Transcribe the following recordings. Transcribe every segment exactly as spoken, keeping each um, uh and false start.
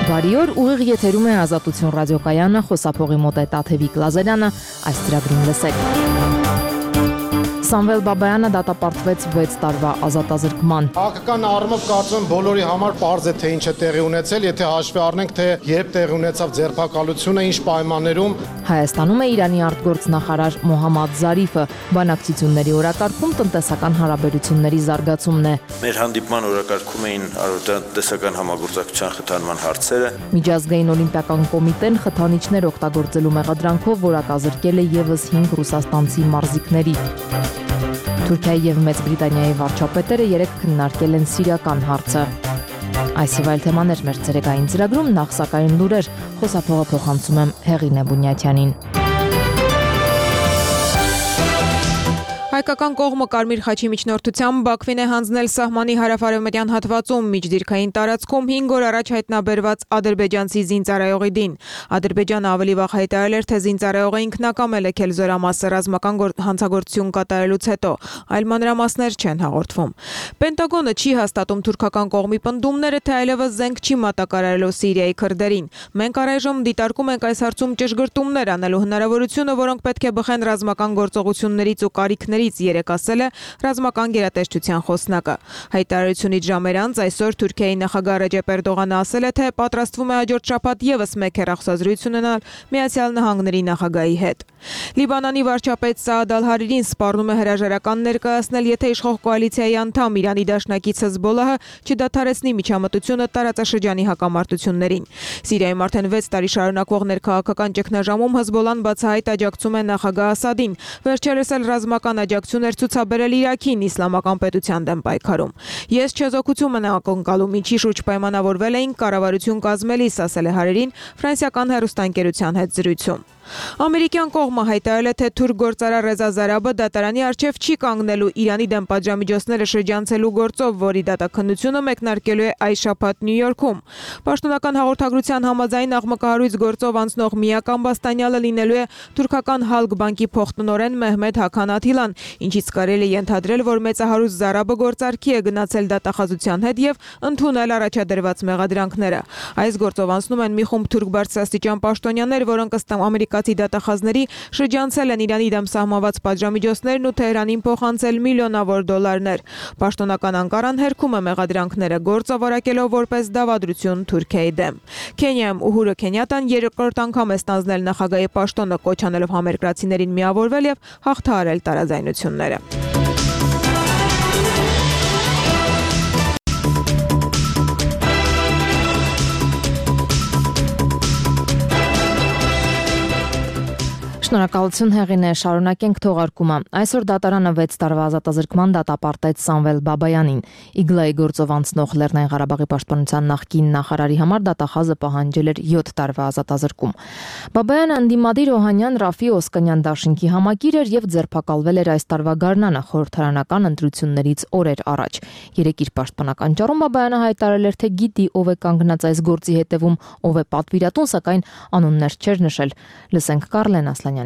Բարի օր, ուղիղ եթերում է Ազատություն ռադիոկայանը, խոսափողի մոտ է Տաթևիկ Լազարյանը, այս ծրագրին լսեք։ Սամվել Բաբայանը դատապարտվեց վեց տարվա ազատազրկման։ Հաղթական առումով կարծում եմ բոլորի համար պարզ է թե ինչ է տեղի ունեցել, եթե հաշվի առնենք թե երբ տեղի ունեցավ ձերբակալությունը, ինչ պայմաններում։ Հայաստանում է Իրանի արտգործնախարար Մոհամմադ Զարիֆը, բանակցությունների օրակարգում տնտեսական հարաբերությունների զարգացումն է։ Մեր հանդիպման օրակարգում էին տնտեսական համագործակցության խթանման հարցերը։ Միջազգային օլիմպիական կոմիտեն խթանիչներ օգտագործելու մեղադրանքով որակազրկել է ևս հինգ ռուսաստանցի մարզիկների։ Թուրքիայի եւ Մեծ Բրիտանիայի վարչապետերը երեկ քննարկել են սիրիական հարցը։ Այս եւ այլ թեմաներ մեր ցերեկային ծրագրում, նախ սակայն լուրեր, խոսափողը փոխանցում եմ Հեղինե Բունյաթյանին։ Հայկական կողմը Կարմիր խաչի միջնորդությամբ Բաքվին է հանձնել սահմանի հարավ-արևմտյան հատվածում միջդիրքային տարածքում հինգ օր առաջ հայտնաբերված ադրբեջանցի զինծառայողի դին։ Ադրբեջանը ավելի վաղ հայտարարել էր, թե զինծառայողը ինքնակամ է լքել զորամասը ռազմական հանցագործություն կատարելուց հետո, այլ մանրամասներ չեն հաղորդվում։ Պենտագոնը չի հաստատում թուրքական կողմի պնդումները, թե այլևս զենք չի մատակարարելու Սիրիայի քրդերին։ Մենք առայժմ դիտարկում ենք այս հարցում ճշգրտումներ անելու հնարավորությունը, որոնք պետք է բխեն ռազմական գործողություններից ու կարիքներից, երեկ ասել է ռազմական գերատեսչության խոսնակը։ Հայտարարությունից ժամեր անց այսօր Թուրքիայի նախագահ Ռեջեփ Էրդողանը ասել է, թե պատրաստվում է հաջորդ շաբաթ ևս մեկ հեռախոսազրույց ունենալ Միացյալ Նահանգների նախագահի հետ։ Լիբանանի վարչապետ Սաադ Ալ-Հարիրին սպառնում է հրաժարական ներկայացնել, եթե իշխող կոալիցիայի անդամ Իրանի դաշնակից Հեզբոլլահը չդադարեցնի միջամտությունը տարածաշրջանի հակամարտություններին։ Սիրիայում արդեն վեց տարի շարունակվող ներքաղաքական ճգնաժամում Հեզբոլլան բացահայտ աջակցում է նախագահ Ասադին, վերջերս էլ ռազմական աջակցություն էր ցուցաբերել Իրաքին իսլամական պետության դեմ պայքարում։ Ես չեզոքություն եմ ակնկալում, ինչի շուրջ պայմանավորվել էինք կառավարություն կազմելիս, ասել է Հարիրին ֆրանսիական հեռուստաընկերության հետ զրույցում։ Ամերիկյան կողմը հայտարարել է, թե թուրք գործարար Ռեզա Զարաբը դատարանի առջև չի կանգնելու Իրանի դեմ պատժամիջոցները շրջանցելու գործով, որի դատաքննությունը մեկնարկելու է այս շաբաթ Նյու Յորքում։ Պաշտոնական հաղորդագրության համաձայն աղմկահարույց գործով անցնող միակ ամբաստանյալը լինելու է թուրքական Հալկ բանկի փոխտնօրեն Մեհմեդ Հաքան Աթիլան, ինչից կարելի է ենթադրել, որ մեծահարուստ Զարաբը գործարքի է գնացել դատախազության հետ եւ ընդունել առաջադրված մեղադրանքները։ Այս գործով անցնում են մի խումբ թուրք բարձրաստիճան պաշտոնյաներ, որոնք ըստ ամերիկացի դատախազների շրջանցել են Իրանի դեմ սահմանված պատժամիջոցներն ու Թեհրանին փոխանցել միլիոնավոր դոլարներ։ Պաշտոնական Անկարան հերքում է մեղադրանքները, գործավորակելով որպես դավադրություն Թուրքիայի դեմ։ Քենիայում Ուհուրը Քենյատան երկրորդ անգամ է ստանձնել նախագահի պաշտոնը, կոչ անելով համերկրացիներին միավորվել եւ հաղթահարել տարաձայնությունները։ Շնորհակալություն Հեղինե, շարունակենք թողարկումը։ Այսօր դատարանը վեց տարվա ազատազրկման դատապարտեց Սամվել Բաբայանին։ Իգլայի գործով անցնող Լեռնային Ղարաբաղի պաշտպանության նախկին նախարարի համար դատախազը պահանջել էր յոթ տարվա ազատազրկում։ Բաբայանը ընդդիմադիր Օհանյան Ռաֆի Օսկանյան դաշինքի համակիր էր եւ ձերբակալվել էր այս տարվա գարնանը խորհրդարանական ընտրություններից օրեր առաջ։ Երեկ իր պաշտպանական ճառում Բաբայանը հայտարարել էր, թե գիտի ով է կանգնած այս գործի հետևում, ով է պատվիրատուն, սակայն անուններ չէր նշել։ Լսենք Կարլեն Ասլանյանին։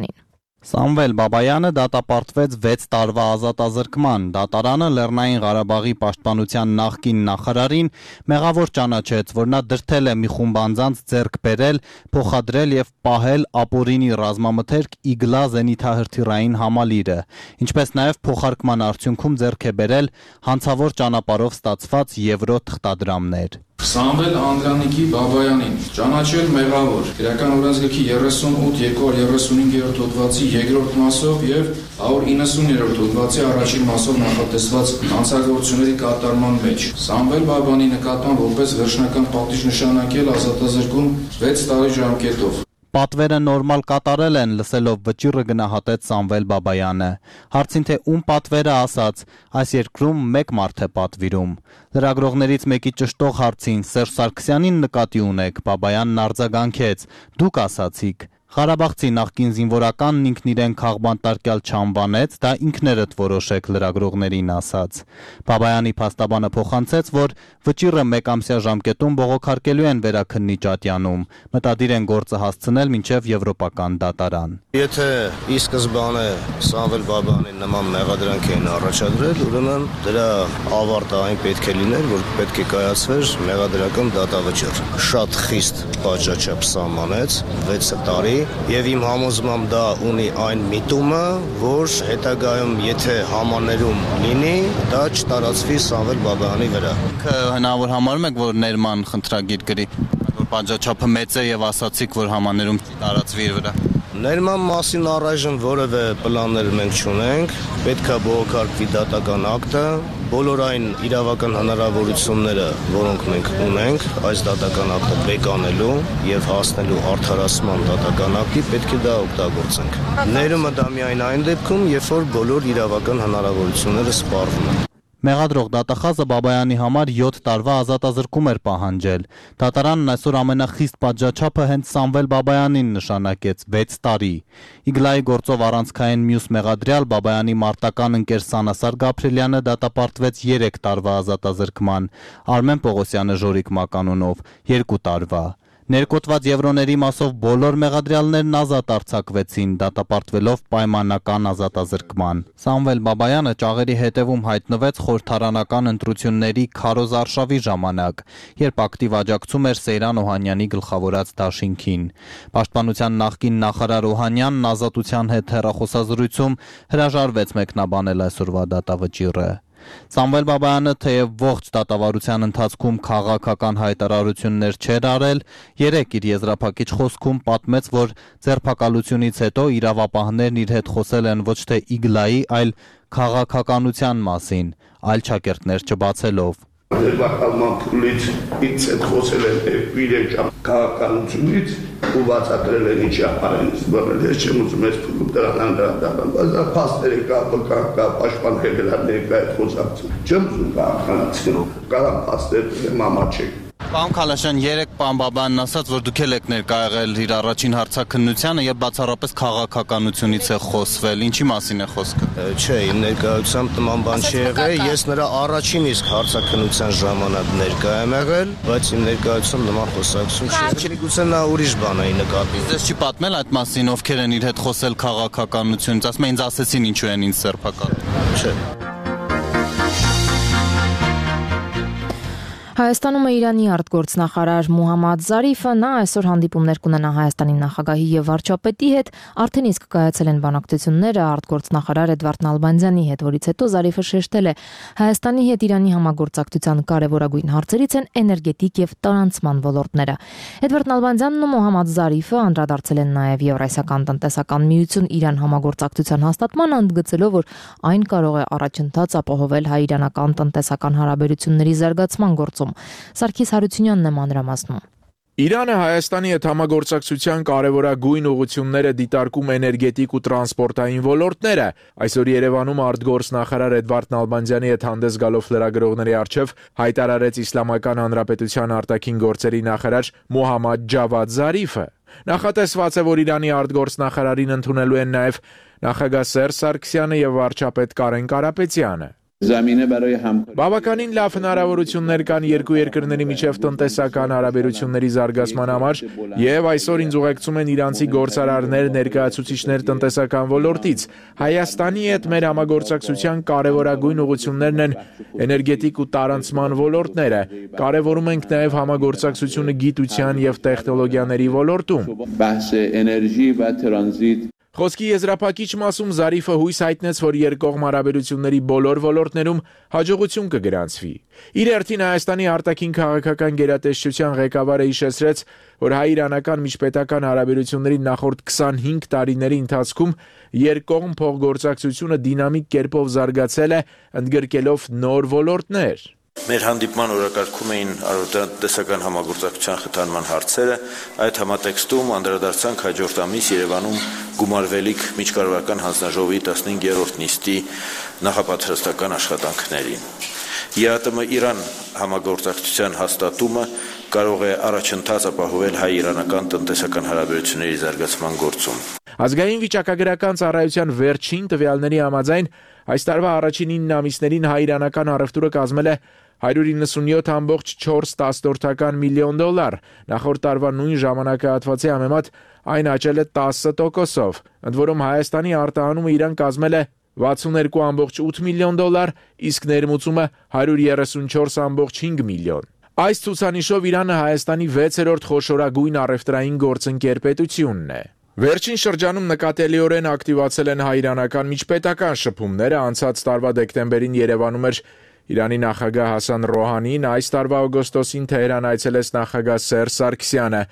Սամվել Բաբայանը դատապարտվեց վեց տարվա ազատազրկման։ Դատարանը Լեռնային Ղարաբաղի պաշտպանության նախկին նախարարին մեղավոր ճանաչեց, որ նա դրդել է մի խումբ անձանց ձեռք բերել, փոխադրել եւ պահել ապօրինի ռազմամթերք Իգլա զենիթահրթիռային համալիրը, ինչպես նաեւ փոխարկման արդյունքում ձեռք է բերել հանցավոր ճանապարհով ստացված եվրո թղթադրամներ։ Սամվել Անդրանիկի Բաբայանին ճանաչել մեղավոր Գրական օրենսգրքի երեսունութ երկու երեսունհինգերորդ հոդվածի երկրորդ մասով եւ հարյուր իննսուններորդ հոդվածի առաջին մասով նախատեսված հանցագործությունների կատարման մեջ։ Սամվել Բաբայանի նկատմամբ որպես վերջնական պատիժ նշանակել ազատազրկում վեց տարի ժամկետով։ Պատվերը նորմալ կատարել են, լսելով վճիռը գնահատեց Սամվել Բաբայանը։ Հարցին թե ում պատվերը ասաց, այս երկրում մեկ մարդ է պատվիրում։ Լրագրողներից մեկի ճշտող հարցին Սերժ Սարգսյանին նկատի ունեք, Բաբայանն արձագանքեց. դուք ասացիք։ Ղարաբաղցի նախկին զինվորականն ինքն իրեն քաղբանտարկյալ չանվանեց, դա ինքներդ որոշեք լրագրողներին ասաց։ Բաբայանի փաստաբանը փոխանցեց, որ վճիռը մեկամսյա ժամկետում բողոքարկելու են վերաքննիչ ատյանում, մտադիր են գործը հասցնել մինչև եվրոպական դատարան։ Եթե ի սկզբանե Սամվել Բաբայանի նման մեղադրանք էին առաջադրել, ուրեմն դրա ավարտը այն պետք է լիներ, որ պետք է կայացվեր մեղադրական դատավճիռ։ Շատ խիստ պատժաչափ սահմանեց վեց տարի, եւ իմ համոզմամբ դա ունի այն միտումը, որ հետագայում եթե համաներում լինի, դա չտարածվի Սամվել Բաբայանի վրա։ Հնարավոր համարում եք, որ ներման խնդրագիր գրի, որ պատժաչափը մեծ է եւ ասացիք, որ համաներում տարածվի իր վրա։ Ներման մասին առայժմ որևէ պլաններ մենք չունենք, պետք է բողոքարկվի դատական ակտը, բոլոր այն իրավական հնարավորությունները, որոնք մենք ունենք, այս դատական ակտը բեկանելու եւ հասնելու արդարացման դատական ակտի պետք է դա օգտագործենք։ Ներումը դա միայն այն դեպքում, երբ որ բոլոր իրավական հնարավորությունները սպառվում են։ Մեղադրող դատախազը Բաբայանի համար յոթ տարվա ազատազրկում էր պահանջել։ Դատարանն այսօր ամենախիստ պատժաչափը հենց Սամվել Բաբայանին նշանակեց վեց տարի։ Իգլայի գործով առանցքային մյուս մեղադրյալ Բաբայանի մարտական ընկեր Սանասար Գաբրելյանը դատապարտվեց երեք տարվա ազատազրկման, Արմեն Պողոսյանը Ժորիկ մականունով երկու տարվա։ Ներկոտված եվրոների մասով բոլոր մեղադրյալներն ազատ արձակվեցին, դատապարտվելով պայմանական ազատազրկման։ Սամվել Բաբայանը ճաղերի հետևում հայտնվեց խորհրդարանական ընտրությունների քարոզ արշավի ժամանակ, երբ ակտիվ աջակցում էր Սեյրան Օհանյանի գլխավորած դաշինքին։ Պաշտպանության նախկին նախարար Օհանյանն ազատության հետ հեռախոսազրույցում հրաժարվեց մեկնաբանել այսօրվա դատավճիռը։ Սամվել Բաբայանը թեև ողջ դատավարության ընթացքում քաղաքական հայտարարություններ չէր արել, երեկ իր եզրափակիչ խոսքում պատմեց, որ ձերբակալությունից հետո իրավապահներն իր հետ խոսել են ոչ թե Իգլայի, այլ քաղաքականության մասին, այլ ճակերտներ չբացելով։ Ձերբակալման փուլից ինձ հետ խոսել են իրենք քաղաքականությունից ու բացատրել են ինչ ապարեն զբաղել, ես չեմ ուզում ես փուլում դրան անդրադառնալ, բայց դա փաստեր կա, կա, կա, պաշտպան հեղինակների հետ խոսակցություն, չեմ ուզում քաղաքականացնել, կարամ փաստեր դեմ ամաչեք։ Պարոն Քալաշյան, երեք պարոն Բաբայանն ասաց, որ դուք եք ներկա եղել իր առաջին հարցաքննությանը եւ բացառապես քաղաքականությունից է խոսվել, ինչի մասին է խոսքը։ Չէ, իմ ներկայությամբ նման բան չի եղել, ես նրա առաջին իսկ հարցաքննության ժամանակ ներկա եմ եղել, բայց իմ ներկայությամբ նման խոսակցություն չի։ Գուցե նա ուրիշ բան է նկատի։ Ձեզ չի պատմել այդ մասին, ովքեր են իր հետ խոսել քաղաքականությունից, ասում են ինձ ասեցին ինչու են ինձ ձերբակալել։ Չէ։ Հայաստանում է Իրանի արտգործնախարար Մուհամմադ Զարիֆը, նա այսօր հանդիպումներ կունենա Հայաստանի նախագահի եւ վարչապետի հետ, արդեն իսկ կայացել են բանակցությունները արտգործնախարար Էդվարդ Նալբանդյանի հետ, որից հետո Զարիֆը շեշտել է Հայաստանի հետ Իրանի համագործակցության կարևորագույն հարցերից են էներգետիկ եւ տարանցման ոլորտները։ Էդվարդ Նալբանդյանն ու Մուհամմադ Զարիֆը անդրադարձել են նաեւ Եվրասիական տնտեսական միություն Իրան համագործակցության հաստատմանը, ընդգծելով, որ այն կարող է առաջընթաց ապահովել հայ-իրանական տնտեսական հարաբերությունների զարգացման գործում։ Սարգիս Հարությունյանն է մանրամասնում։ Իրանը Հայաստանի հետ համագործակցության կարևորագույն ուղղությունները դիտարկում էներգետիկ ու տրանսպորտային ոլորտները։ Այսօր Երևանում արտգործնախարար Էդվարդ Նալբանդյանի հետ հանդես գալով լրագրողների առջև հայտարարեց Իսլամական Հանրապետության արտաքին գործերի նախարար Մոհամմադ Ջավադ Զարիֆը։ Նախատեսված է, որ Իրանի արտգործնախարարին ընդունելու են նաև նախագահ Սերժ Սարգսյանը եւ վարչապետ Կարեն Կարապետյանը։ Բավականին լավ հնարավորություններ կան երկու երկրների միջև տնտեսական հարաբերությունների զարգացման համար եւ այսօր ինձ ուղեկցում են իրանցի գործարարներ, ներկայացուցիչներ տնտեսական ոլորտից։ Հայաստանի հետ մեր համագործակցության կարևորագույն ուղղություններն են էներգետիկ ու տարանցման ոլորտները։ Կարևորում ենք նաեւ համագործակցությունը գիտության եւ տեխնոլոգիաների ոլորտում։ Խոսքի եզրափակիչ մասում Զարիֆը հույս հայտնեց, որ երկկողմ հարաբերությունների բոլոր ոլորտներում հաջողություն կգրանցվի։ Իր հերթին Հայաստանի արտաքին քաղաքական գերատեսչության ղեկավարը հիշեցրեց, որ հայ-իրանական միջպետական հարաբերությունների նախորդ քսանհինգ տարիների ընթացքում երկկողմ փոխգործակցությունը դինամիկ կերպով զարգացել է, ընդգրկելով նոր ոլորտներ։ Մեր հանդիպման օրակարգում էին տնտեսական համագործակցության խթանման հարցերը, այդ համատեքստում անդրադարձանք հաջորդ ամիս Երևանում գումարվելիք միջկառավարական հանձնաժողովի տասնհինգերորդ նիստի նախապատրաստական աշխատանքներին։ ԵԱՏՄ-Իրան համագործակցության հաստատումը կարող է առաջընթաց ապահովել հայ-իրանական տնտեսական հարաբերությունների զարգացման գործում։ Ազգային վիճակագրական ծառայության վերջին տվյալների համաձայն այս տարվա առաջին ինը ամիսներին հայ-իրանական առևտուրը կազմել է հարյուր իննսունյոթ կόμμα չորս միլիոն դոլար, նախորդ տարվա նույն ժամանակահատվածի համեմատ այն աճել է տասը տոկոսով, ընդ որում Հայաստանի արտահանումը իրան կազմել է վաթսունհինգ կόμμα ութ միլիոն դոլար, իսկ ներմուծումը հարյուր երեսունչորս կόμma հինգ միլիոն։ Այս ցուցանիշով Իրանը Հայաստանի վեցերորդ խոշորագույն առևտրային գործընկեր պետությունն է։ Վերջին շրջանում նկատելիորեն ակտիվացել են հայ-իրանական միջպետական շփումները, անցած տարվա դեկտեմբերին Երևանում էր Իրանի նախագահ Հասան Ռոհանին, այս տարվա օգոստոսին Թեհրան այցելեց նախագահ Սերժ Սարգսյանը։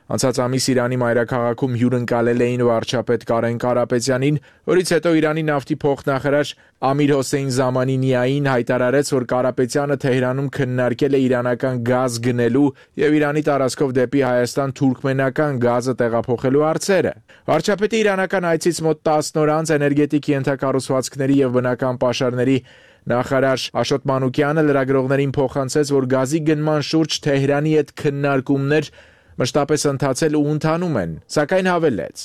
Անցած ամիս Իրանի մայրաքաղաքում հյուրընկալել էին վարչապետ Կարեն Կարապետյանին, որից հետո Իրանի նավթի փոխնախարար Ամիր Հոսեյն Զամանինիային հայտարարեց, որ Կարապետյանը Թեհրանում քննարկել է իրանական գազ գնելու եւ Իրանի տարածքով դեպի Հայաստան թուրքմենական գազը տեղափոխելու հարցերը։ Վարչապետի իրանական այցից մոտ տասն օր անց էներգետիկ ենթակառուցվածքների եւ բնական պաշարների նախարար Աշոտ Մանուկյանը լրագրողներին փոխանցեց, որ գազի գնման շուրջ Թեհրանի հետ քննարկումներ մշտապես ընթացել ու ընթանում են, սակայն հավելեց.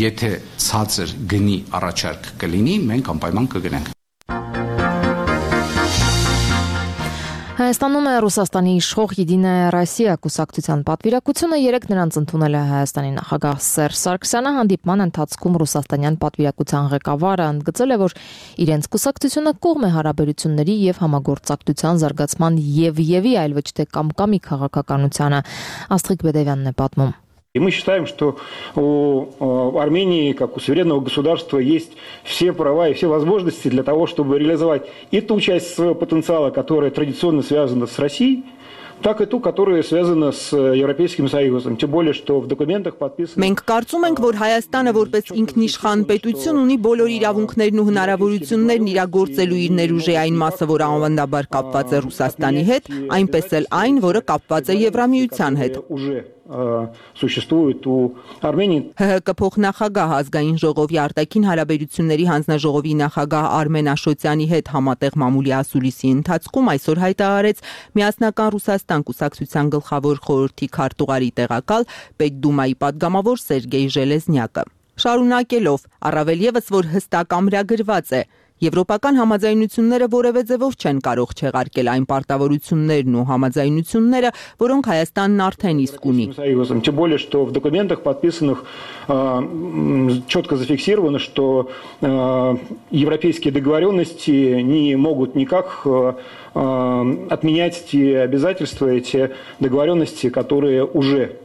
Եթե ցածր գնի առաջարկ կլինի, մենք անպայման կգնանք։ Հայաստանում է Ռուսաստանի իշխող Եդինայա Ռոսիա կուսակցության պատվիրակությունը, երեկ նրանց ընդունել է Հայաստանի նախագահ Սերժ Սարգսյանը, հանդիպման ընթացքում ռուսաստանյան պատվիրակության ղեկավարը ընդգծել է, որ իրենց կուսակցությունը կողմ է հարաբերությունների եւ համագործակցության զարգացման եւ եւի, այլ ոչ թե կամ-կամի քաղաքականությանը։ Աստղիկ Բեդևյանն է պատմում։ И мы считаем, что у Армении, как у суверенного государства, есть все права и все возможности для того, чтобы реализовать и ту часть своего потенциала, которая традиционно связана с Россией, так и ту, которая связана с Европейским Союзом. Тем более, что в документах подписано... Մենք կարծում ենք, որ Հայաստանը որպես ինքնիշխան պետություն ունի բոլոր իրավունքներն ու հնարավորություններն իրագործելու իր ներուժեային մասը, որ անվանդաբար կապված է Ռուսաստանի հետ, այնպես էլ այն, որը կապված է Եվրամիության հետ։ Существует у Армении. ՀՀԿ փոխնախագահ ազգային ժողովի արտաքին հարաբերությունների հանձնաժողովի նախագահ Արմեն Աշոտյանի հետ համատեղ մամուլի ասուլիսի ընթացքում այսօր հայտարարեց Միասնական Ռուսաստան կուսակցության գլխավոր խորհրդի քարտուղարի տեղակալ Պետդումայի падգամավոր Սերգեյ Ժելեզնյակը։ Շարունակելով, առավել եւս որ հստակ ամրագրված է, Եվրոպական համաձայնությունները որևէ ձևով չեն կարող չեղարկել այն պարտավորություններն ու համաձայնությունները, որոնք Հայաստանն արդեն իսկ ունի։ Тем более, что в документах подписанных четко зафиксировано, что европейские договоренности не могут никак отменять те обязательства, эти договоренности, которые уже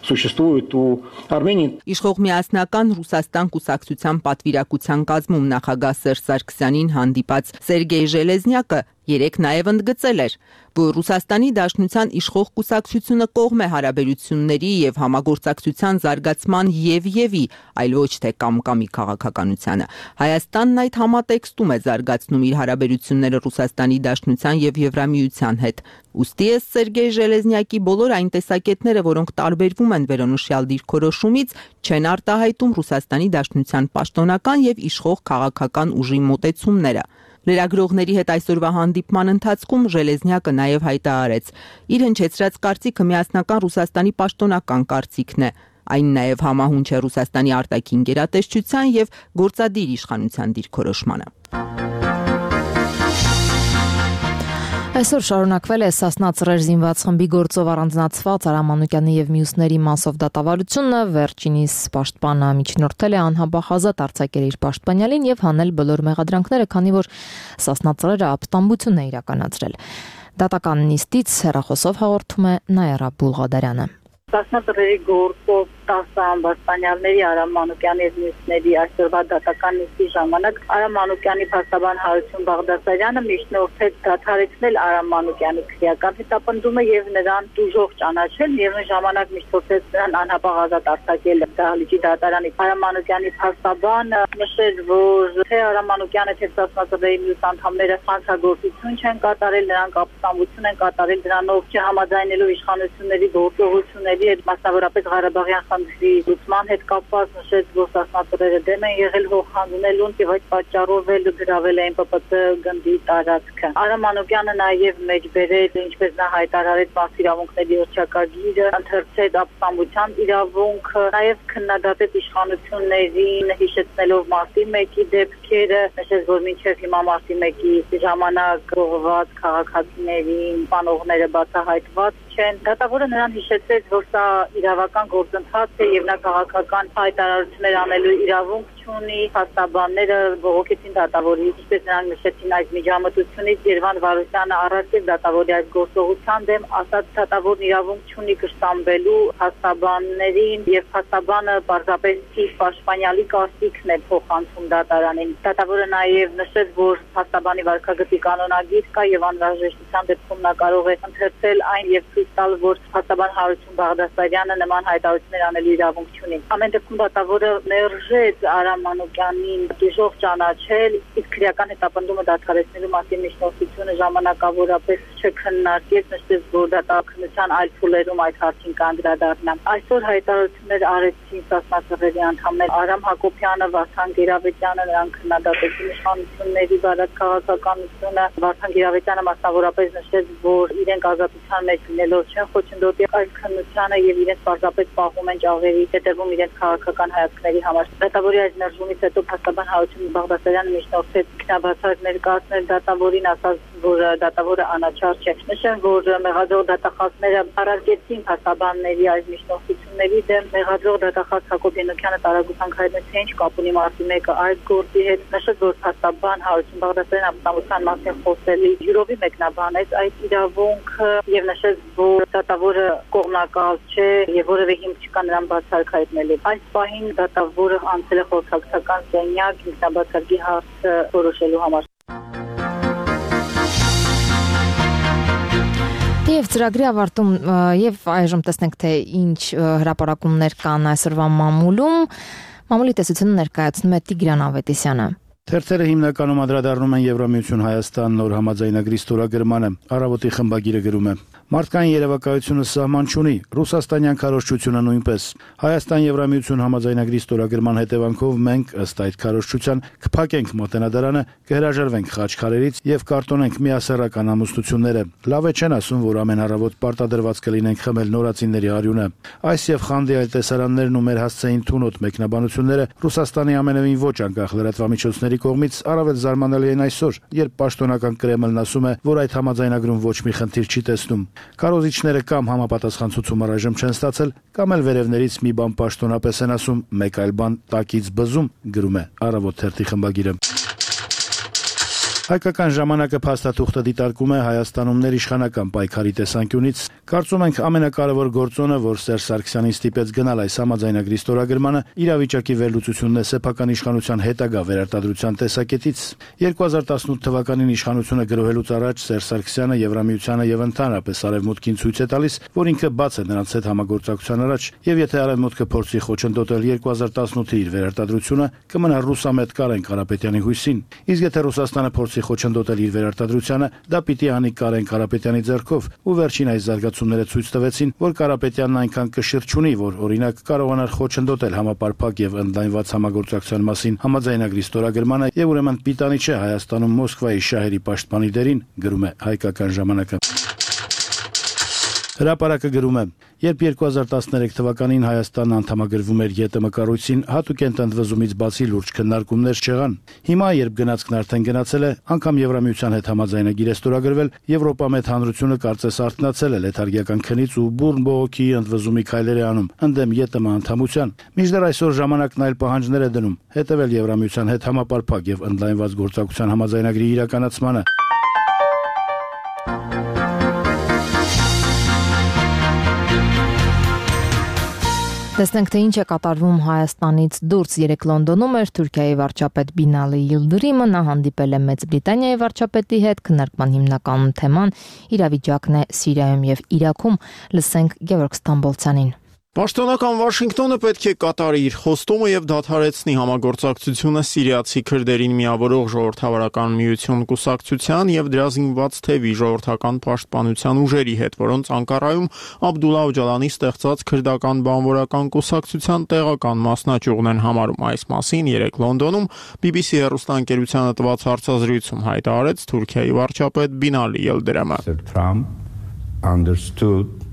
существуют у Армении. Իշխող Միասնական Ռուսաստան կուսակցության պատվիրակության կազմում նախագահ Սերժ Սարգսյանին հանդիպած Սերգեյ Ժելեզնյակը երեկ նաև ընդգծել էր, որ Ռուսաստանի Դաշնության իշխող կուսակցությունը կողմ է հարաբերությունների եւ համագործակցության զարգացման եւ եւի, այլ ոչ թե կամ-կամի քաղաքականությանը։ Հայաստանն այդ համատեքստում է զարգացնում իր հարաբերությունները Ռուսաստանի Դաշնության եւ Եվրամիության հետ։ Ուստի է Սերգեյ Ժելեզնյակի բոլոր այն տեսակետները, որոնք տարբերվում են վերոնշյալ դիրքորոշումից, չեն արտահայտում Ռուսաստանի Դաշնության պաշտոնական եւ իշխող քաղաքական ուժի մոտեցումները։ Լրագրողների հետ այսօրվա հանդիպման ընթացքում Ժելեզնյակը նաև հայտարարեց. իր հնչեցրած կարծիքը Միասնական Ռուսաստանի պաշտոնական կարծիքն է։ Այն նաև համահունչ է Ռուսաստանի արտաքին գերատեսչության եւ գործադիր իշխանության դիրքորոշմանը։ Այսօր շարունակվել է Սասնա ծռեր զինված խմբի գործով առանձնացված Արամ Մանուկյանի եւ մյուսների մասով դատավարությունը, վերջինիս պաշտպանը միջնորդել է անհապաղ ազատ արձակել իր պաշտպանյալին եւ հանել բոլոր մեղադրանքները, քանի որ Սասնա ծռերը ապստամբություն է իրականացրել։ Դատական նիստից հեռախոսով հաղորդում է Նաիրա Բուլղադարյանը։ Սասնա ծռերի գործով տասը ամբաստանյալների Արամ Մանուկյանի եւ մյուսների այսօրվա դատական նիստի ժամանակ Արամ Մանուկյանի փաստաբան Հարություն Բաղդասարյանը միջնորդեց դադարեցնել Արամ Մանուկյանի քրեական հետապնդումը եւ նրան դժոխ ճանաչել, միևնույն ժամանակ միջնորդեց նրան անհապաղ ազատ արձակել Դահլիճի դատարանի։ Արամ Մանուկյանի փաստաբանը նշել, որ թե Արամ Մանուկյանը թե Սասնա ծռերի մյուս անդամները հանցագործություն չեն կատարել, նրանք ապստամբություն են կատարել, դրանով չհամաձայնելով իշխանությունների գործողությունների հետ, մասնավորապես Ղարաբաղյան խնդրի լուծման հետ կապված նշեց, որ սասնատուրերը դեմ են եղել հողհանձնելուն եւ այդ պատճառով էլ գրավել էին Պ Պ Ց գնդի տարածքը։ Արամ Մանուկյանը նաեւ մեջբերեց, ինչպես նա հայտարարեց, մաս իրավունքների օրչակագիրը, ընթերցեց ապստամբության իրավունքը, նաեւ քննադատեց իշխանություններին, հիշեցնելով մարտի մեկի դեպքերը, նշեց, որ մինչև հիմա մարտի մեկի ժամանակ ուղղված քաղաքացիներին բանողները բացահայտված չեն։ Դատավորը նրան հիշեցրեց, որ սա իրավական գործընթաց է եւ նա քաղաքական հայտարարություններ անելու իրավունք ունի, փաստաբանները բողոքեցին դատավորի, ինչպես նրանք նշեցին այս միջամտությունից Երվան Վարուշյանը առարկեց դատավորի այս գործողության դեմ, ասաց դատավորն իրավունք չունի կշտամբելու փաստաբաններին եւ փաստաբանը պարզապես թիվ պաշտպանյալի կարծիքն է փոխանցում դատարանին։ Դատավորը նաեւ նշեց, որ փաստաբանի վարքագծի կանոնագիր կա եւ անհրաժեշտության դեպքում նա կարող է ընթերցել այն եւ ցույց տալ, որ փաստաբան Հարություն Բաղդասարյանը նման հայտարարություններ անելու իրավունք չունի։ Ամեն դեպքում դատավորը մերժեց Արամ Մանուկյանին դժոխ ճանաչել, իսկ քրեական հետապնդումը դադարեցնելու մասին միջնորդությունը ժամանակավորապես չքննարկեց, նշեց, որ դատաքննության այլ փուլերում այդ հարցին կանդրադառնա։ Այսօր հայտարարություններ արեցին սասնատուրերի անդամներ Արամ Հակոբյանը, Վարդան Գերավետյանը, նրանք քննադատեցին իշխանությունների բարակ քաղաքականությունը։ Վարդան Գերավետյանը մասնավորապես նշեց, որ իրենք ազատության մեջ լինելով չեն խոչընդոտի այս քննությանը եւ իրենց պարզապես պահում են ճաղերի հետևում իրենց քաղաքական հայացքների համար։ Դատավորի այս ներժումից հետո փաստաբան Հարություն Բաղդասարյանը միջնորդեց քննաբացարկ ներկայացնել դատավորին, ասաց, որ դատավորը անաչառ չէ։ Նշեմ, որ մեղադրող դատախազները առարկեցին փաստաբանների այս միջնորդությունների դեմ։ Մեղադրող դատախազ Հակոբ Ենոքյանը տարագուտանք հայտնեց, թե ինչ կապ ունի մարտի մեկը այս գործի հետ։ Նշեց, որ փաստաբան Հարություն Բաղդասարյանը ապստամբության մասին խոսելի յուրովի մեկնաբանեց այդ իրավունքը եւ նշեց, որ դատավորը կողմնակալ չէ եւ որևէ հիմք չկա նրան բացառք հայտնելու։ Այս պահին դատավորը անցել է խորհրդական սենյակ ինքնաբացարկի հարցը որոշելու համար։ Եվ ծրագրի ավարտում եւ այժմ տեսնենք, թե ինչ հրապարակումներ կան այսօրվա մամուլում։ Մամուլի տեսությունը ներկայացնում է Տիգրան Ավետիսյանը։ Թերթերը հիմնականում անդրադառնում են Եվրամիություն Հայաստան նոր համաձայնագրի ստորագրմանը։ Առավոտի խմբագիրը գրում է. Մարդկային երևակայությունը սահման չունի, ռուսաստանյան քարոզչությունը նույնպես։ Հայաստան Եվրամիություն համաձայնագրի ստորագրման հետևանքով մենք ըստ այդ քարոզչության կփակենք մատենադարանը, կհրաժարվենք խաչքարերից եւ կարտոնենք միասեռական ամուսնությունները։ Լավ է չեն ասում, որ ամեն առավոտ պարտադրված կլինենք խմել նորածինների արյունը։ Այս եւ խանդի այլ տեսարաններն ու մեր հասցեին թունոտ մեկնաբանությունները Ռուսաստանի ամենևին ոչ անկախ լրատվամիջոցների կողմից առավել զարմանալի են այսօր, երբ պաշտոնական Կրեմլն ասում է, որ այդ համաձայնագրում ոչ մի խնդիր չի տեսնում։ Քարոզիչները կամ համապատասխան ցուցում առայժմ չեն ստացել, կամ էլ վերևներից մի բան պաշտոնապես են ասում, մեկ այլ բան տակից բզում, գրում է Առավոտ թերթի խմբագիրը։ Հայկական ժամանակը փաստաթուղթը դիտարկում է Հայաստանում ներիշխանական պայքարի տեսանկյունից։ Կարծում ենք ամենակարևոր գործոնը, որ Սերժ Սարգսյանին ստիպեց գնալ այս համաձայնագրի ստորագրմանը, իրավիճակի վերլուծությունն է սեփական իշխանության հետագա վերարտադրության տեսակետից։ երկու հազար տասնութ թվականին իշխանությունը գրոհելուց առաջ Սերժ Սարգսյանը Եվրամիությանը եւ ընդհանրապես Արևմուտքին ցույց է տալիս, որ ինքը բաց է նրանց հետ համագործակցության առաջ, եւ եթե Արևմուտքը փորձի խոչընդոտել երկու հազար տասնութի իր վերարտադրությունը, կմնա ռուսամետ Կարեն Կարապետյանի հույսին։ Իսկ եթե Ռուսաստանը փորձի խոչընդոտել իր վերարտադրությանը, դա պիտի անի Կարեն Կարապետյանի ձեռքով, ու վերջին այս զարգացումները ցույց տվեցին, որ Կարապետյանն այնքան կշիռ չունի, որ օրինակ կարողանար խոչընդոտել համապարփակ եւ ընդլայնված համագործակցության մասին համաձայնագրի ստորագրմանը, եւ ուրեմն պիտանի չէ Հայաստանում Մոսկվայի շահերի պաշտպանի դերին, գրում է Հայկական ժամանակը։ Հրապարակը գրում է. երբ երկու հազար տասներեք թվականին Հայաստանն անդամագրվում էր ԵՏՄ կառույցին, հատուկ ընդվզումից բացի լուրջ քննարկումներ չեղան։ Հիմա, երբ գնացքն արդեն գնացել է, անգամ Եվրամիության հետ համաձայնագիր է ստորագրվել, Եվրոպա մեծ հանրությունը կարծես արթնացել է լեթարգիական քնից ու բուրն բողոքի ընդվզումի քայլեր է անում ընդդեմ ԵՏՄ անդամության։ Մինչդեռ այսօր ժամանակն այլ պահանջներ է դնում՝ հետևել Եվրամիության հետ համապարփակ եւ ընդլայնված գործակցության համաձայնագրի իրականացմանը։ Տեսնենք, թե ինչ է կատարվում Հայաստանից դուրս։ Երեկ Լոնդոնում էր Թուրքիայի վարչապետ Բինալի Իլդիրիմը, նա հանդիպել է Մեծ Բրիտանիայի վարչապետի հետ, քննարկման հիմնական թեման իրավիճակն է Սիրիայում եւ Իրաքում։ Լսենք Գևորգ Ստամբոլցյանին։ Պաշտոնական Վաշինգտոնը պետք է կատարի իր խոստումը եւ դադարեցնի համագործակցությունը սիրիացի քրդերին միավորող ժողովրդավարական միություն կուսակցության եւ դրա զինված թևի ժողովրդական պաշտպանության ուժերի հետ, որոնց Անկարայում Աբդուլլա Օջալանի ստեղծած քրդական բանվորական կուսակցության տեղական մասնաճյուղն են համարում։ Այս մասին երեկ Լոնդոնում բի բի սի հեռուստաընկերությանը տված հարցազրույցում հայտարարեց Թուրքիայի վարչապետ Բինալի Ելդրեմը։ Trump understood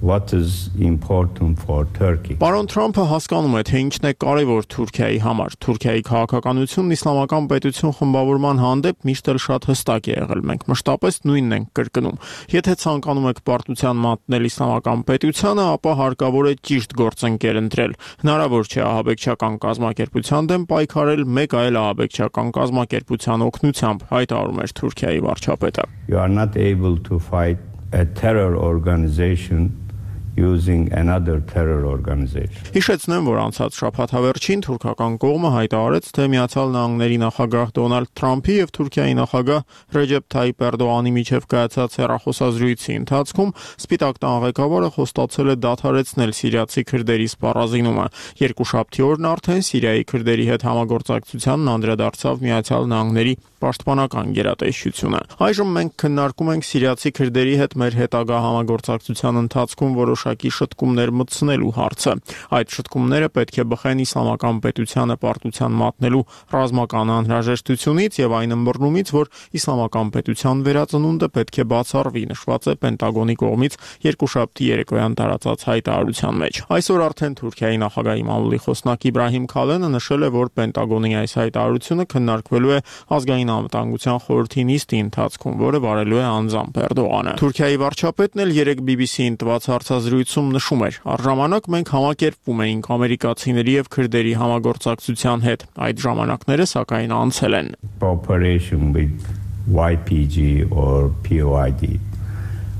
what is important for Turkey. Պարոն Թրամփը հասկանում է, թե ինչն է կարևոր Թուրքիայի համար։ Թուրքիայի քաղաքականությունն իսլամական պետություն խմբավորման հանդեպ միշտ էլ շատ հստակ է եղել։ Մենք մշտապես նույնն ենք կրկնում։ Եթե ցանկանում եք պարտության մատնել իսլամական պետությանը, ապա հարկավոր է ճիշտ գործընկեր ընտրել։ Հնարավոր չէ ահաբեկչական կազմակերպության դեմ պայքարել մեկ այլ ահաբեկչական կազմակերպության օգնությամբ, հայտարարում էր Թուրքիայի վարչապետը։ You are not able to fight a terror organization using another terror organization. Հիշեցնեմ, որ անցած շաբաթավերջին թուրքական կողմը հայտարարեց, թե Միացյալ Նահանգների նախագահ Դոնալդ Թրամփի եւ Թուրքիայի նախագահ Ռեջեփ Թայիպ Էրդողանի միջև կայացած հեռախոսազրույցի ընթացքում Սպիտակ տան ղեկավարը խոստացել է դադարեցնել սիրիացի քրդերի սպառազինումը։ Երկուշաբթի օրն արդեն Սիրիայի քրդերի հետ համագործակցությանն անդրադարձավ Միացյալ Նահանգների պաշտպանական գերատեսչությունը։ Այժմ մենք քննարկում ենք սիրիացի քրդերի հետ մեր հետագա համագործակցության ընթացքում որոշակի շտկումներ մտցնելու հարցը։ Այդ շտկումները պետք է բխեն իսլամական պետությանը պարտության մատնելու ռազմական անհրաժեշտությունից եւ այն ըմբռնումից, որ իսլամական պետության վերածնունդը պետք է բացառվի, նշված է Պենտագոնի կողմից երկուշաբթի երեկոյան տարածած հայտարարության մեջ։ Այսօր արդեն Թուրքիայի նախագահի մամուլի խոսնակ Իբրահիմ Քալենը նշել է, որ Պենտագոնի այս հայտարարությունը քննարկվելու է ազգային անվտանգության խորհրդի նիստի ընթացքում, որը վարելու է անձամբ Էրդողանը։ Թուրքիայի վարչապետն էլ երեկ բի բի սի-ին տված հարցազրույցում նշում էր. «Առժամանակ մենք համակերպվում էինք ամերիկացիների եւ քրդերի համագործակցության հետ։ Այդ ժամանակները սակայն անցել են»։ Cooperation with Y P G or P O I D.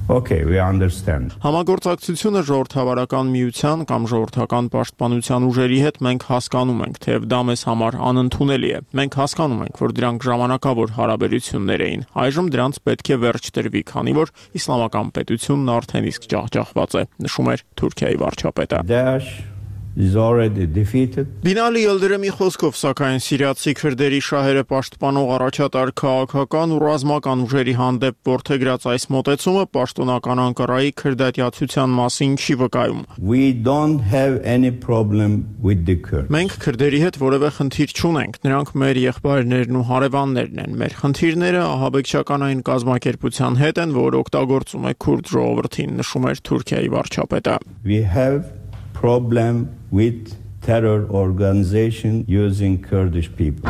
Okay, we understand. Համագործակցությունը ժողովրդավարական միության կամ ժողովրդական պաշտպանության ուժերի հետ մենք հասկանում ենք, թեև դա մեզ համար անընդունելի է։ Մենք հասկանում ենք, որ դրանք ժամանակավոր հարաբերություններ էին։ Այժմ դրանց պետք է վերջ տրվի, քանի որ իսլամական պետությունն արդեն իսկ ջախջախված է, նշում էր Թուրքիայի վարչապետը։ Daesh is already defeated. Բինալի Ելդրեմի խոսքով, սակայն սիրիացի քրդերի շահերը պաշտպանող առաջատար քաղաքական ու ռազմական ուժերի հանդեպ որդեգրած այս մոտեցումը պաշտոնական Անկարայի քրդատյացության մասին չի վկայում։ We don't have any problem with the Kurds. Մենք քրդերի հետ որևէ խնդիր չունենք, նրանք մեր եղբայրներն ու հարևաններն են։ Մեր խնդիրները ահաբեկչական այն կազմակերպության հետ են, որ օգտագործում է քուրդ ժողովրդին, նշում էր Թուրքիայի վարչապետը։ We have problem with terror organization using Kurdish people.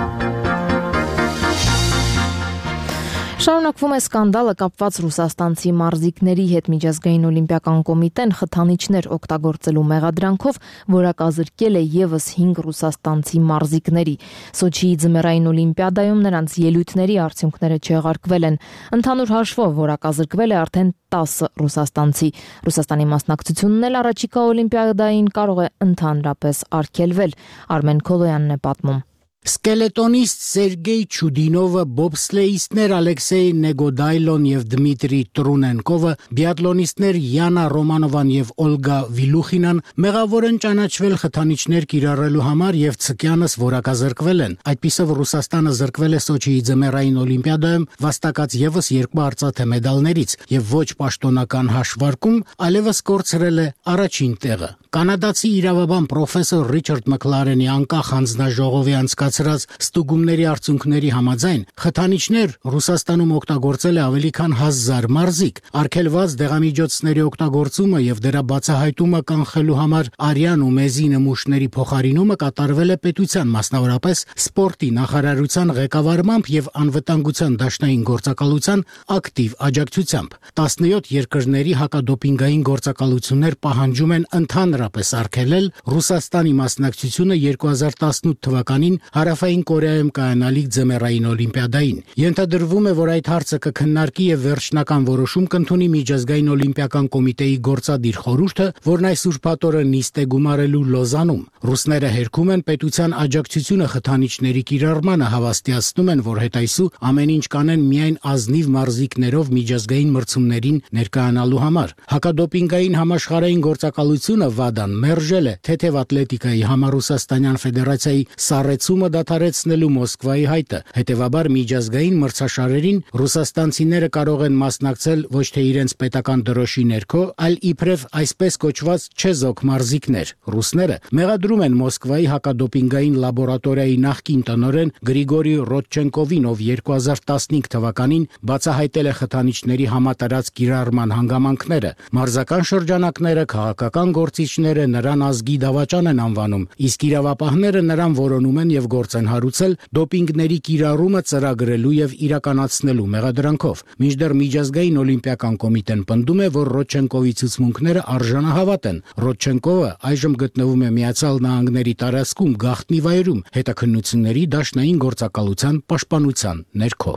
Շարունակվում է սկանդալը կապված ռուսաստանցի մարզիկների հետ միջազգային օլիմպիական կոմիտեն խթանիչներ օգտագործելու մեղադրանքով որակազրկել է եւս հինգ ռուսաստանցի մարզիկների։ Սոչիի ձմեռային օլիմպիադայում նրանց ելույթների արդյունքները չեղարկվել են։ Ընդհանուր հաշվով որակազրկվել է արդեն տասը ռուսաստանցի։ Ռուսաստանի մասնակցությունն էլ առաջիկա օլիմպիադային կարող է ընդհանրապես արգելվել։ Արմեն Քոլոյանն է պատմում։ Սկելետոնիստ Սերգեյ Չուդինովը, բոբսլեիստներ Ալեքսեյ Նեգոդայլոն եւ Դմիտրի Տրունենկովը, բիատլոնիստներ Յանա Ռոմանովան եւ Օլգա Վիլուխինան մեղավոր են ճանաչվել խթանիչներ կիրառելու համար եւ ցկյանս որակազրկվել են։ Այդպիսով Ռուսաստանը զրկվել է Սոչիի ձմեռային օլիմպիադայում վաստակած եւս երկու արծաթե մեդալներից եւ ոչ պաշտոնական հաշվարկում այլևս կորցրել է առաջին տեղը։ Կանադացի իրավաբան պրոֆեսոր Ռիչարդ Մքլարենի անկախ հանձնաժողովի անցկացրած ստուգումների արդյունքների համաձայն խթանիչներ Ռուսաստանում օգտագործել է ավելի քան հազար մարզիկ։ Արգելված դեղամիջոցների օգտագործումը եւ դրա բացահայտումը կանխելու համար արյան ու մեզի նմուշների փոխարինումը կատարվել է պետության, մասնավորապես սպորտի նախարարության ղեկավարմամբ եւ անվտանգության դաշնային գործակալության ակտիվ աջակցությամբ։ տասնյոթ երկրների հակադոպինգային գործակալություններ պահանջում են ընդհանրապես արգելել Ռուսաստանի մասնակցությունը երկու հազար տասնութ թվականին Հարավային Կորեայում կայանալիք ձմեռային օլիմպիադային։ Ենթադրվում է, որ այդ հարցը կքննարկի եւ վերջնական որոշում կընդունի միջազգային օլիմպիական կոմիտեի գործադիր խորհուրդը, որն այս ուրբաթ օրը նիստ է գումարելու Լոզանում։ Ռուսները հերքում են պետության աջակցությունը խթանիչների կիրառմանը, հավաստիացնում են, որ հետայսու ամեն ինչ կանեն միայն ազնիվ մարզիկներով միջազգային մրցումներին ներկայանալու համար։ Հակադոպինգային համաշխարհային գործակալությունը վադան մերժել է թեթև ատլետիկայի համառուսաստանյան ֆեդերացիայի սառեցումը դադարեցնելու Մոսկվայի հայտը։ Հետևաբար միջազգային մրցաշարերին ռուսաստանցիները կարող են մասնակցել ոչ թե իրենց պետական դրոշի ներքո, այլ իբրև այսպես կոչված չեզոք մարզիկներ։ Ռուսները մեղադրում են Մոսկվայի հակադոպինգային լաբորատորիայի նախկին տնօրեն Գրիգորի Ռոդչենկովին, ով երկու հազար տասնհինգ թվականին բացահայտել է խթանիչների համատարած կիրառման հանգամանքները։ Մարզական շրջանակները, քաղաքական գործիչները նրան ազգի դավաճան են անվանում, իսկ իրավապահները նրան որոնում են եւ գործ են հարուցել դոպինգների կիրառումը ծրագրելու եւ իրականացնելու մեղադրանքով։ Մինչդեռ միջազգային օլիմպիական կոմիտեն պնդում է, որ Ռոդչենկովի ցուցմունքները արժանահավատ են։ Ռոդչենկովը այժմ գտնվում է Միացյալ Նահանգների տարածքում գաղտնի վայրում հետաքննությունների դաշնային գործակալության պաշտպանության ներքո։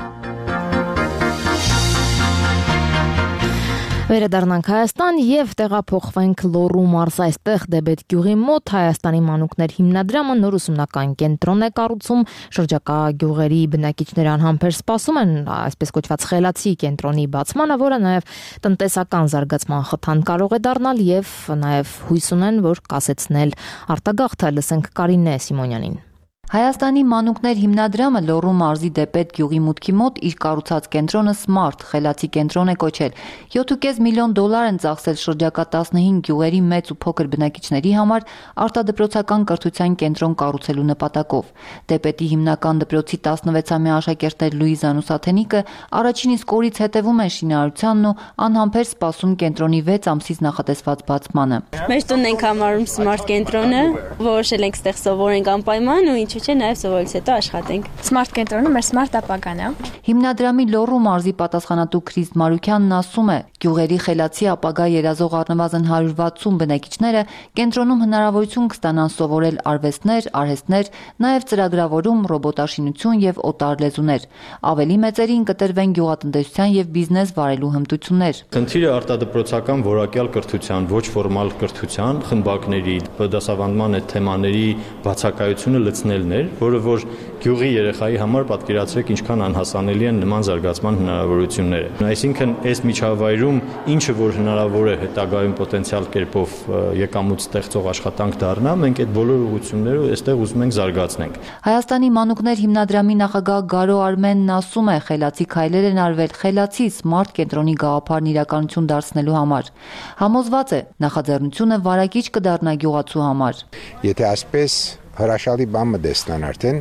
Վերադառնանք Հայաստան եւ տեղափոխվենք Լոռու մարզ, այստեղ Դեբետ գյուղի մոտ Հայաստանի մանուկներ հիմնադրամը նոր ուսումնական կենտրոն է կառուցում, շրջակա գյուղերի բնակիչները անհամբեր սպասում են այսպես կոչված խելացի կենտրոնի բացմանը, որը նաեւ տնտեսական զարգացման խթան կարող է դառնալ եւ նաեւ հույս ունեն, որ կասեցնել արտագաղթը։ Լսենք Կարինե Սիմոնյանին։ Հայաստանի մանուկներ հիմնադրամը Լոռու մարզի Դեպետ գյուղի մուտքի մոտ իր կառուցած կենտրոնը Smart խելացի կենտրոն է կոչել։ յոթ ու կես միլիոն դոլար են ծախսել շրջակա տասնհինգ գյուղերի մեծ ու փոքր բնակիչների համար արտադրոցական կրթության կենտրոն կառուցելու նպատակով։ Դեպետի հիմնական դպրոցի տասնվեցամյա աշակերտներ Լուիզան ու Սաթենիկը առաջին իսկ օրից հետևում են շինարարությանն ու անհամբեր սպասում կենտրոնի վեց ամսից նախատեսված բացմանը։ Մեր տունն ենք համարում Smart կենտրոնը, որոշել ենք ստեղ սովորենք անպայման ու ինչ չէ, նաև սովորից հետո աշխատենք։ Smart կենտրոնը մեր smart ապագան է։ Հիմնադրամի Լոռու մարզի պատասխանատու Քրիստ Մարուկյանն ասում է, գյուղերի խելացի ապագա երազող առնվազն հարյուր վաթսուն բնակիչները կենտրոնում հնարավորություն կստանան սովորել արվեստներ, արհեստներ, նաև ծրագրավորում, ռոբոտաշինություն եւ օտար լեզուներ։ Ավելի մեծերին կտրվեն գյուղատնտեսության եւ բիզնես վարելու հմտություններ։ Խնդիրը արտադրոցական որակյալ կրթության, ոչ ֆորմալ կրթության, խմբակների, դասավանդման այդ թեմաների բացակայությունը լցնելն էր, որը որ գյուղի երեխայի համար պատկերացրեք ինչքան անհասանելի են նման զարգացման հնարավորությունները։ Այսինքն այս միջավայրում ինչը որ հնարավոր է հետագայում պոտենցիալ կերպով եկամուտ ստեղծող աշխատանք դառնա, մենք այդ բոլոր ուղղությունները այստեղ ուզում ենք զարգացնենք։ Հայաստանի մանուկներ հիմնադրամի նախագահ Գարո Արմենն ասում է, խելացի քայլեր են արվել խելացի Smart կենտրոնի գաղափարն իրականություն դարձնելու համար։ Համոզված է, նախաձեռնությունը վարակիչ կդառնա գյուղացու համար։ Եթե այսպես հրաշալի բան մտեսնան արդեն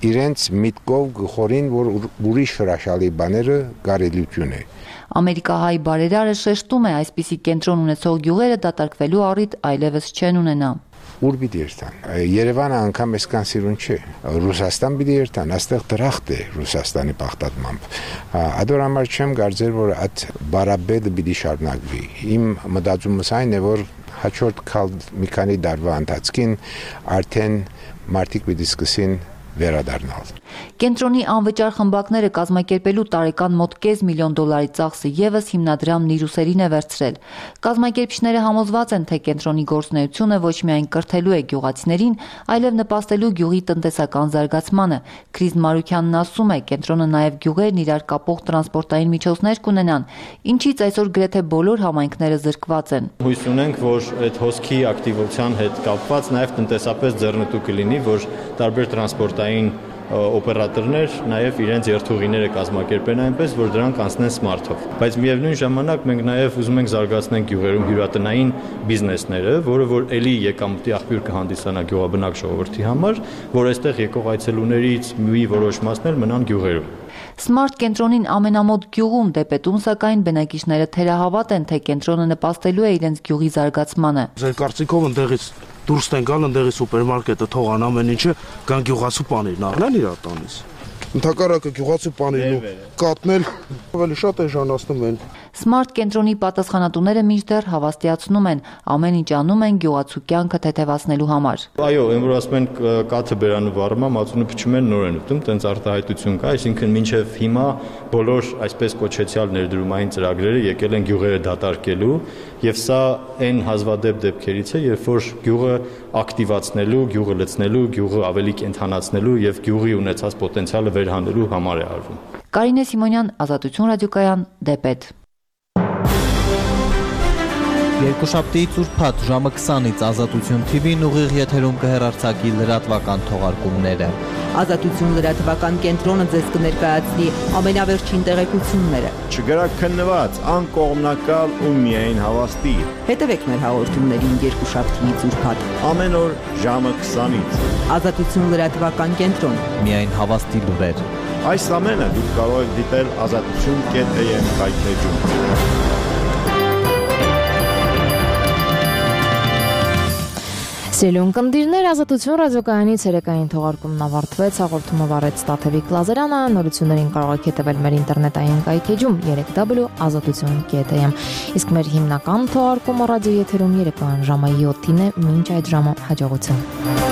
իրենց միտքով գխորին, որ ուրիշ հրաշալի բաները կարելիություն է։ Ամերիկահայ բարերարը շեշտում է, այսպիսի կենտրոն ունեցող գյուղերը դատարկվելու առիթ այլևս չեն ունենա։ Ուր պիտի երթան։ Երևանը անգամ այսքան սիրուն չէ։ Ռուսաստան պիտի երթան, այստեղ դրախտ է Ռուսաստանի պաղտատմամբ։ Ադոր համար չեմ կարծեր, որ այդ բարաբեդը պիտի շարունակվի։ Իմ մտածումս այն է, որ հաջորդ մի քանի տարվա ընթացքին արդեն մարդիկ պիտի սկսեն վերադառնալ։ Կենտրոնի անվճար խմբակները կազմակերպելու տարեկան մոտ կես միլիոն դոլարի ծախսը եւս հիմնադրամն իր ուսերին է վերցրել։ Կազմակերպիչները համոզված են, թե կենտրոնի գործունեությունը ոչ միայն կրթելու է գյուղացիներին, այլև նպաստելու գյուղի տնտեսական զարգացմանը։ Քրիստ Մարուկյանն ասում է, կենտրոնը նաեւ գյուղերն իրար կապող տրանսպորտային միջոցներ կունենան, ինչից այսօր գրեթե բոլոր համայնքները զրկված են։ Հույս ունենք, որ այդ հոսքի ակտիվության հետ կապված նաեւ տնտեսապես ձեռնտու կլինի, որ տարբեր տրանսպորտային օպերատորներ նաև իրենց երթուղիները կազմակերպեն այնպես, որ դրանք անցնեն Smart-ով։ Բայց միևնույն ժամանակ մենք նաև ուզում ենք զարգացնել գյուղերում հյուրատնային բիզնեսները, որը որ ելի եկամուտի աղբյուր կհանդիսանա գյուղաբնակ ժողովրդի համար, որ այստեղ եկող այցելուներից մի որոշ մասն էլ մնան գյուղերում։ Smart կենտրոնին ամենամոտ գյուղում Դեպետում սակայն բնակիչները թերահավատ են, թե կենտրոնը նպաստելու է իրենց գյուղի զարգացմանը։ Ձեր կարծիքով ընդեղից դուրս են գալ, ընդեղից սուպերմարկետը թողան ամեն ինչը, կան գյուղացու պանիրն առնել իր տանից։ Ընդհակառակը գյուղացու պանիրն ու կատնել ավելի շատ էժանացնում են։ Smart կենտրոնի պատասխանատուները մինչդեռ հավաստիացնում են, ամեն ինչ անում են գյուղացու կյանքը թեթևացնելու համար։ Այո, այն որ ասում են կաթը բերանը վառում, մածունը փչում են, նոր են ուտում, տենց արտահայտություն կա, այսինքն մինչև հիմա բոլոր այսպես կոչեցյալ ներդրումային ծրագրերը եկել են գյուղերը դատարկելու, եւ սա այն հազվադեպ դեպքերից է, երբ որ գյուղը ակտիվացնելու, գյուղը լցնելու, գյուղը ավելի կենթանացնելու եւ գյուղի ունեցած պոտենցիալը վերհանելու համար է արվում։ Կարինե Սիմոնյան, Ազատություն ռադիոկայան, Դեպետ։ Երկուշաբթիից ուրբաթ ժամը քսանից Ազատություն թի վին ուղիղ եթերում կհեռարձակի լրատվական թողարկումները։ Ազատություն լրատվական կենտրոնը ձեզ կներկայացնի ամենավերջին տեղեկությունները։ Չգրակ քննված, անկողմնակալ ու միայն հավաստի։ Հետևեք մեր հաղորդումներին երկուշաբթիից ուրբաթ ամեն օր ժամը քսանից։ Ազատություն լրատվական կենտրոն։ Միայն հավաստի լուրեր։ Այս ամենը դուք կարող եք դիտել ազատություն կետ է եմ հայտնեջում։ Սիրուն կնդիրներ, Ազատություն ռադիոկայանի ցերեկային թողարկումն ավարտվեց, հաղորդումը վարեց Տաթևիկ Լազարյանը, նորություններին կարող եք հետևել մեր ինտերնետային կայքեջում երեք w ազատություն կետ է եմ։ Իսկ մեր հիմնական թողարկումը ռադիոեթերում երեկոյան ժամը յոթին է, մինչ այդ ժամը հաջողություն։